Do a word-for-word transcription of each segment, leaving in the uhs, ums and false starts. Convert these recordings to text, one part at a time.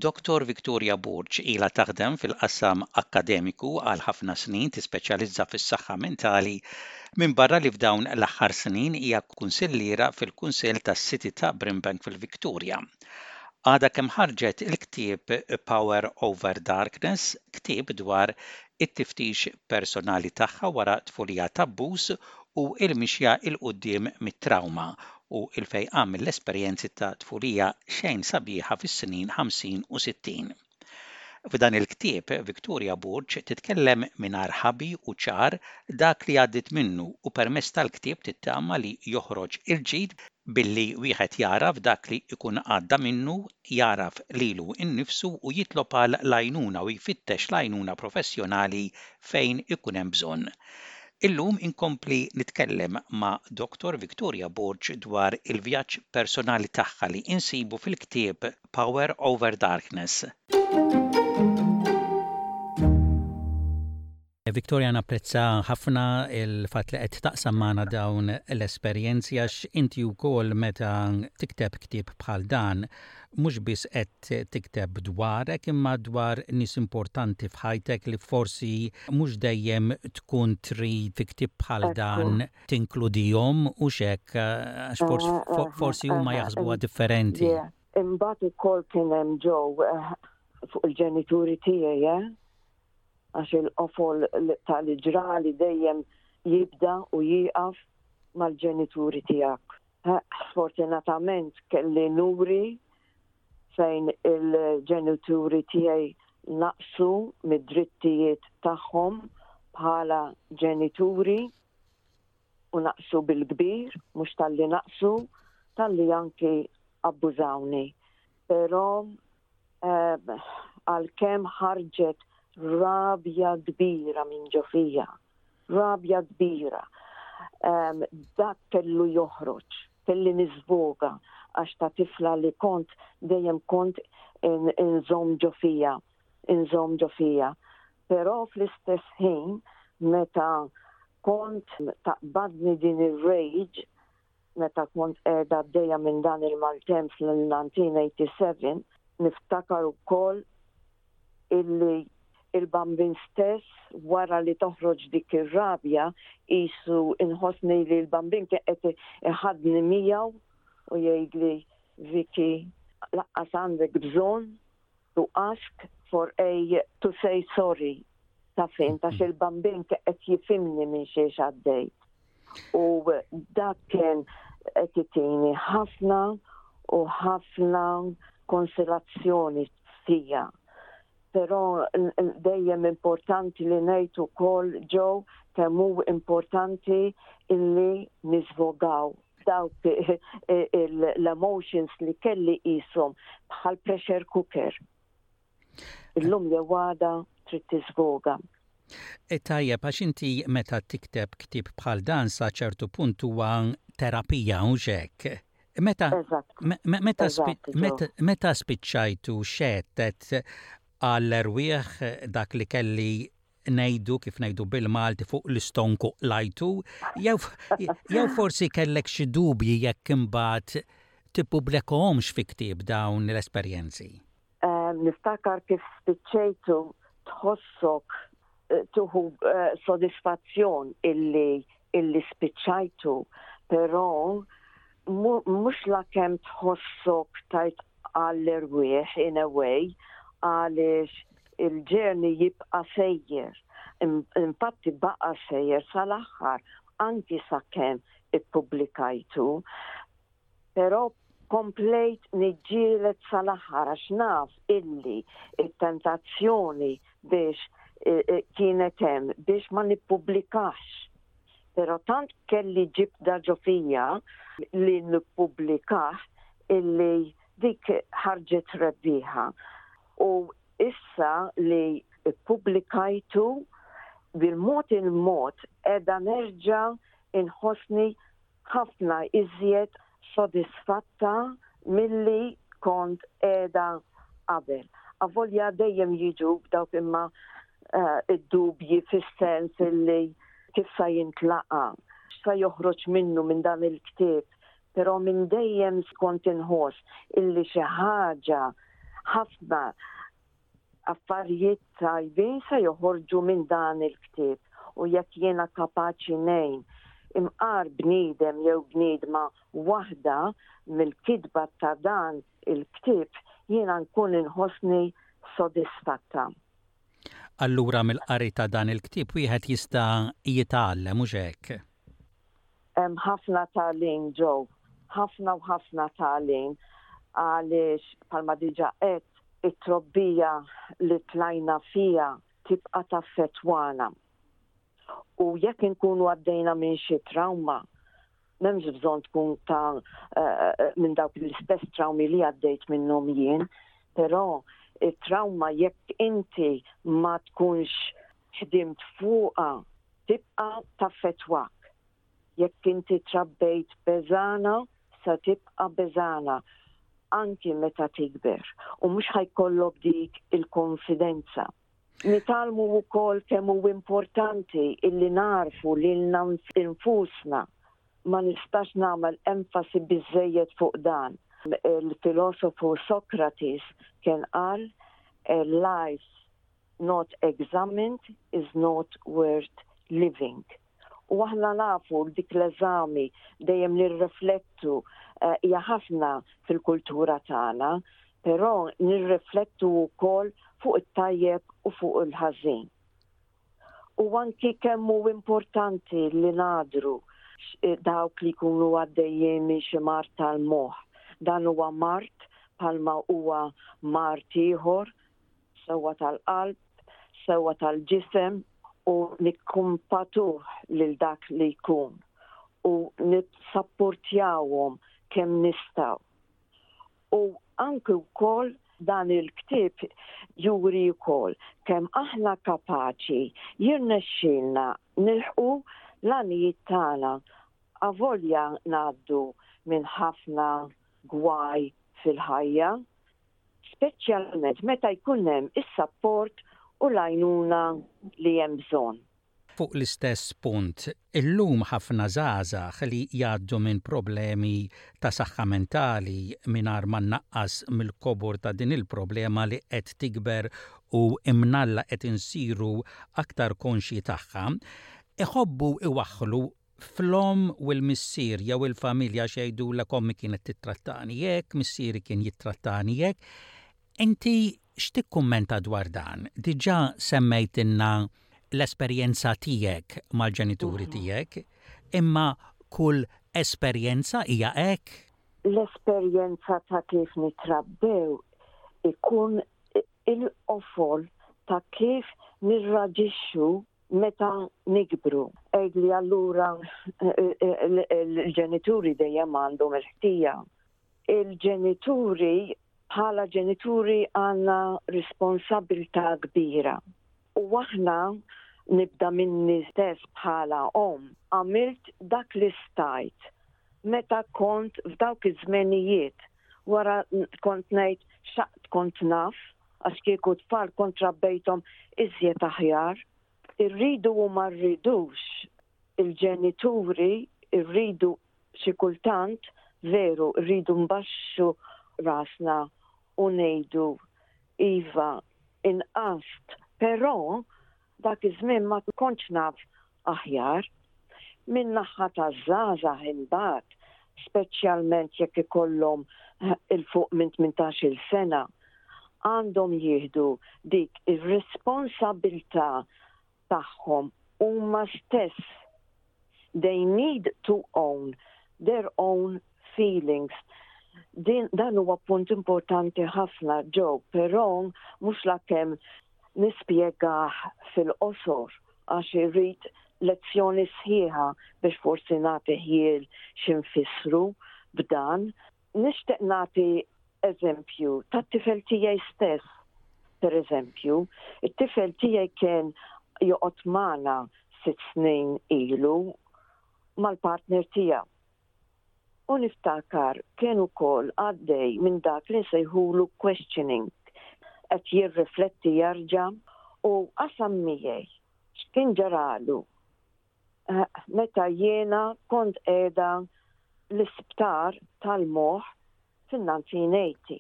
Dottor Victoria Borg ilha taħdem fil-qasam akkademiku għal ħafna snin, tispeċjalizza fis-saħħa mentali, minbarra li f'dawn l-aħħar snin hija kunsilliera fil-Kunsill tas-City ta' Brimbank fil-Victoria. Għadha kemm ħarġet il-ktieb Power Over Darkness, ktieb dwar it-tiftix personali tagħha wara tfulija t'abbuż u il-mixja 'l quddiem mit-trauma u il-fejqan mill-esperjenzi ta' tfulija xejn sabiħa fis-snin ħamsin u sittin. F'dan il-ktieb, Victoria Borg titkellem mingħajr ħabi u ċar dak li għaddit minnu, u permezz tal-ktieb tittama li joħroġ il-ġid billi wieħed jaraf dak li jkun għadda minnu, jaraf lilu innifsu u jitlob għal l-għajnuna u jfittex l-għajnuna professjonali fejn ikun hemm bżonn. Illum inkompli nitkellem ma' Dottor Victoria Borg dwar il-vjaġġ personali tagħha li insibu fil-ktieb Power Over Darkness. Victoria, napprezza ħafna il-fatt li qed taqsam magħna dawn l-esperjenzi, għax inti wkoll meta tikteb ktieb bħal dan mhux biss qed tikteb dwarek imma dwar nies importanti f'ħajtek li forsi mhux dejjem tkun trid fi ktieb bħal dan tinkludihom u xek, għax forsi huma jaħsbuha differenti. Imbagħad ukoll kien hemm ġew fuq il-ġenituri tiegħi, eh? Għax il-qofol tal-ġrali dejjem jibda u jieqaf mal-ġenituri tiegħek. Sfortunatament kelli nuri fejn il-ġenituri tiegħi naqsu mid-drittijiet tagħhom bħala ġenituri u naqsu bil-kbir, mhux talli naqsu, talli anki abbużawni. Però għalkemm ħarġet rabja kbira minn ġo fija, rabja kbira, dak kellu joħroġ, kelli niżvoga, għax ta' tifla li kont dejjem kont inżomm ġo fija, inżomm ġo fija. Però fl-istess ħin meta kont taqbadni din ir-rage, meta kont qiegħda għaddejja minn dan il-maltemp fl-nineteen eighty-seven, niftakar ukoll illi il-bambin stess wara li toħroġ dik ir-rabja qisu inħossni li l-bambin kien qed iħadni miegħu u jgħidli, Vicky, laqqas għandek bżonn to ask for a to say sorry. Ta' fejn, ta' il-bambin kien qed jifhimni minn xiex għaddej. U dak kien qed itini ħafna u ħafna konsilazzjoni fija. Però dejjem importanti li ngħid ukoll ġew kemm hu importanti illi niżvogaw dawk l-emotions li kelli qishom bħal pressure cooker. Illum jew għada trid tiżvoga. E tajjeb, għax inti meta tikteb ktieb bħal dan sa ċertu punt huwa terapija u hekk. Meta Eżatt. me-, me-, meta spi-, Eżatt, ġo. meta, meta spiċċajtu xettet għall-erwieħ dak li kelli ngħidu kif ngħidu bil-Malti fuq l-istonku lajtu, jew, jew forsi kellek xi dubji jekk imbagħad tippubblikahomx fi ktieb dawn l-esperjenzi? Ehm, niftakar kif spiċċejtu tħossok, eh, tuħu, eh, sodisfazzjon illi, illi spiċċajtu, però mu-, mhux la kemm tħossok tajt għall-erwieħ in a way, għaliex il-ġerni jibqa' sejjer. Im-, infatti baqa' sejjer sal-aħħar, anki sakemm ippubblikajtu, però komplejt niġġieled sal-aħħar għax naf illi it-tentazzjoni biex, eh, eh, kienet hemm biex ma nippublikax. Però tant kelli ġibda ġo fija li nippublikax illi dik ħarġet rebbieħa. U issa li ppubblikajtu bil-mod il-mod qiegħda nerġa' inħossni ħafna iżjed sodisfatta milli kont qiegħda qabel. Avolja dejjem jiġu dawk imma, eh, id-dubji fis-sens illi kif sa jintlaqa, x'sa joħroġ minnu minn dan il-ktieb, però minn dejjem kont inħoss illi xi ħaġa Ħafna affarijiet tajbin se joħorġu minn dan il-ktieb u jekk jiena kapaċi ngħin imqar bniedem jew bniedma waħda mill-kitba ta' dan il-ktieb, jiena nkun inħossni sodisfatta. Allura mill-qari ta' dan il-ktieb wieħed jista' jitgħallem, mhux hekk? Hemm ħafna tagħlim ġew, ħafna u ħafna tagħlim, għaliex bħalma diġà qed, it-trobbija li tlajna fija tibqa' taffettwana. U jekk inkunu għaddejna minn xi trauma, m'hemmx bżonn tkun ta' uh, minn dawk l-istess traumi li għaddejt minnhom jien, però it-trauma, jekk inti ma tkunx ħdimt fuqha, tibqa' taffettwak. Jekk inti trabbejt beżgħana, sa tibqa' beżgħana anki meta tikber u mhux ħa jkollok dik il-konfidenza. Nitgħallmu wkoll kemm hu importanti illi narfu lilna nfusna. Ma nistax nagħmel enfasi biżejjed fuq dan. Il-filosofu Socrates kien qal, "A life not examined is not worth living." U aħna nafu dik l-eżami, dejjem nirriflettu, eh, hija ħafna fil-kultura tagħna, però nirriflettu wkoll fuq it-tajjeb u fuq il-ħażin. U anki kemm hu importanti li nagħdru dawk li jkunu għaddejjin minn xi mard tal-moħħ. Dan huwa mard bħalma huwa mard ieħor, sewwa tal-qalb, sewwa tal-ġisem, u nikkumpatuh lil dak li jkun u nissapportjawhom kemm nistgħu. U anke wkoll dan il-ktieb juri wkoll kemm aħna kapaċi jirnexxilna nilħqu l-għanijiet tagħna avolja ngħaddu minn ħafna gwaj fil-ħajja, speċjalment meta jkun hemm is-sapport u l-għajnuna li hemm bżonn. Fuq l-istess punt, illum ħafna żgħażagħ li jgħaddu minn problemi ta' saħħa mentali, mingħajr ma naqqas mill-kobor ta' din il-problema li qed tikber u imnalla qed insiru aktar konxji tagħha, iħobbu iwaħħlu fl-omm u l-missier jew il-familja, x'jgħidu, "Ommi kienet tittrattani hekk, missieri kien jittrattani hekk." Inti x'tikkummenta dwar dan? Diġà semmejtilna l-esperjenza tiegħek mal-ġenituri mhm. tiegħek, imma kull esperjenza hija hekk? L-esperjenza ta' kif nitrabbew ikun il-qofol ta' kif nirraġixxu meta nikbru. Għidli, allura il-ġenituri dejjem għandhom il-ħtija? Il-ġenituri, bħala ġenituri, għandna responsabilità kbira. U aħna, nibda minni stess bħala omm, għamilt dak li stajt meta kont f'dawk iż-żmenijiet. Wara kont ngħid x'taqt kont naf, għax kieku tfal kont rabbejthom iżjed aħjar. Irridu u ma rridux, il-ġenituri irridu xi kultant veru rridu nbaxxu rasna u ngħidu, "Iva, inqast, però dak iż-żmien ma kontx naf aħjar." Min naħa ta' żgħażagħ imbagħad, speċjalment jekk ikollhom 'il fuq minn tmintax-il sena, għandhom jieħdu dik ir-responsabilità tagħhom huma stess. They need to own their own feelings. Din, dan huwa punt importanti ħafna ġew, però mhux lakemm nispjegah fil-qosor, għax irrid lezzjoni sħiħa biex forsi nagħti ħjiel x'infissru b'dan. Nixtieq nagħti eżempju tat-tifel tiegħi stess. Per eżempju, it-tifel tiegħi kien joqgħod magħna sitt snin ilu mal-partner tiegħu. U niftakar kien ukoll għaddej minn dak li nsejħulu questioning, qed jirrifletti jarġa', u qasam miegħi x'kien ġaralu eh, meta jiena kont qiegħda l-isptar tal-moħħ fin-nineteen eighty.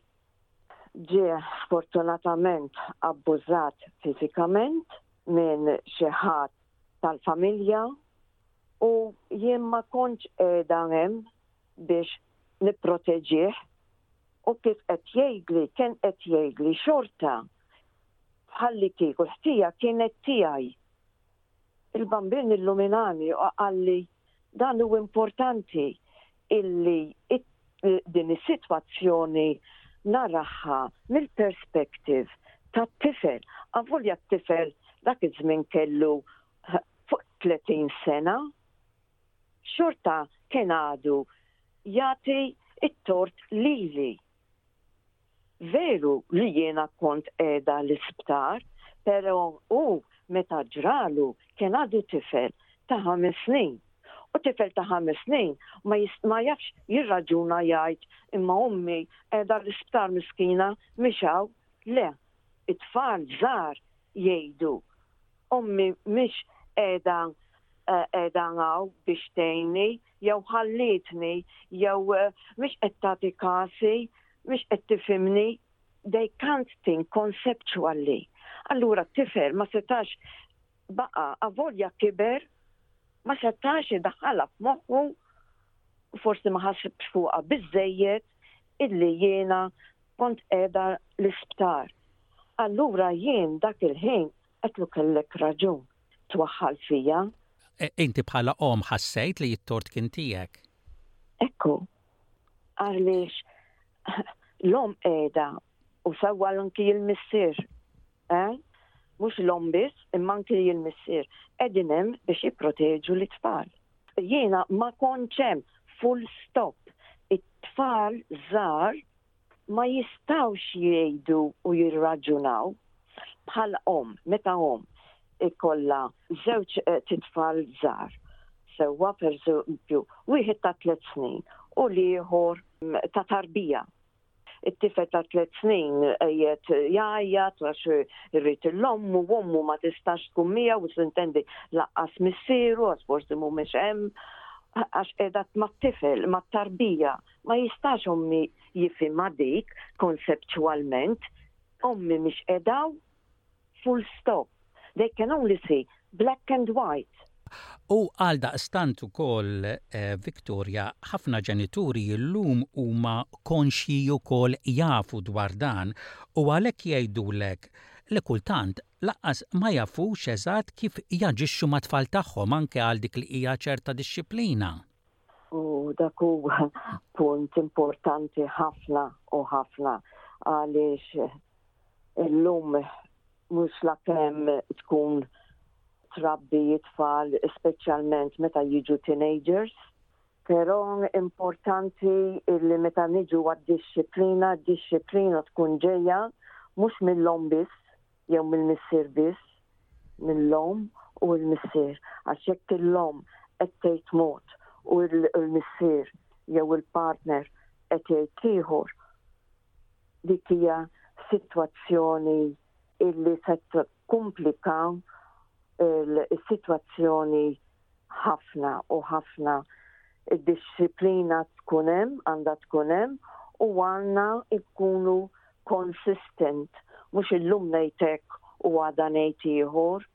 Ġie sfortunatament abbużat fiżikament minn xi ħadd tal-familja u jien ma kontx qiegħda hemm biex nipproteġih u kif qed jgħidli, kien qed jgħidli xorta bħalli kieku l-ħtija kienet tiegħi. Il-Bambin illuminani u qalli dan hu importanti illi din is-sitwazzjoni naraha mill-perspective tat-tifel. Avolja t-tifel dak iż-żmien kellu fuq tletin sena, xorta kien għadu jagħti it-tort lili. Veru li jiena kont qiegħda l-isptar, pero u meta ġralu kien għadu tifel ta' ħames snin. U tifel ta' ħames snin ma, ma jafx jirraġuna, jgħid imma ommi qiegħda l-isptar miskina mhix hawn. Le, it-tfal żgħar jgħidu ommi mhix qiegħda eh, qiegħda hawn biex tgħinni, jew ħallitni, jew eh, mhix qed tagħti kasi, mhix qed tifhimni. They can't think conceptually. Allura t-tifel ma setax baqa, avolja kiber, ma setax idaħħalha f'moħħu, forsi ma ħasibx fuqha biżejjed illi jiena kont qiegħda l-isptar. Allura jien dak il-ħin għedtlu kellek raġun twaħħal fija. E, inti bħala om ħassejt li t-tort kien tiegħek? Ekku, għaliex l-om qiegħda u sewwa anki il-missier. Eh? Mhux l-om biss, imma anki il-missier. Qegħdin hemm biex jipproteġu l-tfal. Jiena ma kontx hemm, full stop. It-tfal żgħar ma jistawx jgħidu u jirraġunaw bħal om, meta om ikolla żewġ eh, titfal żgħar. Sewwa, per eżempju, wieħed ta' tliet snin u l-ieħor mm, ta' tarbija. It-tifel ta' tliet snin qiegħed jgħajjat għax irrid l-ommu u ommu ma tistax tkun miegħu u s'intendi lanqas missieru għax forsi mhumiex hemm, għax qiegħda mat-tifel, mat-tarbija. Ma jistax ommi jifhimha dik konseptualment, ommi mhix qiegħda, full stop. They can only see black and white. U għal daqstant ukoll, eh, Victoria, ħafna ġenituri llum huma konxji wkoll, jafu dwar dan u għalhekk jgħidulek li kultant lanqas ma jafux eżatt kif jaġixxu mat-tfal tagħhom anke għal dik li hija ċerta dixxiplina. U dak huwa punt importanti ħafna u ħafna għaliex illum mhux la kemm tkun trabbi it-tfal, speċjalment meta jiġu teenagers, però importanti li meta niġu għad-dixxiplina, dixxiplina tkun ġejja mhux mill-om biss jew mill-missier biss, mill-om u l-missier. Għax jekk l-om qed tgħid mod u l-missier jew il-partner qed jgħid ieħor, dik hija sitwazzjoni illi se tikkumplika il-sitwazzjoni ħafna u ħafna. Id-dixxiplina tkun hemm, għandha tkun hemm u għandna ikunu consistent, mhux illum ngħidlek u għada ngħid ieħor.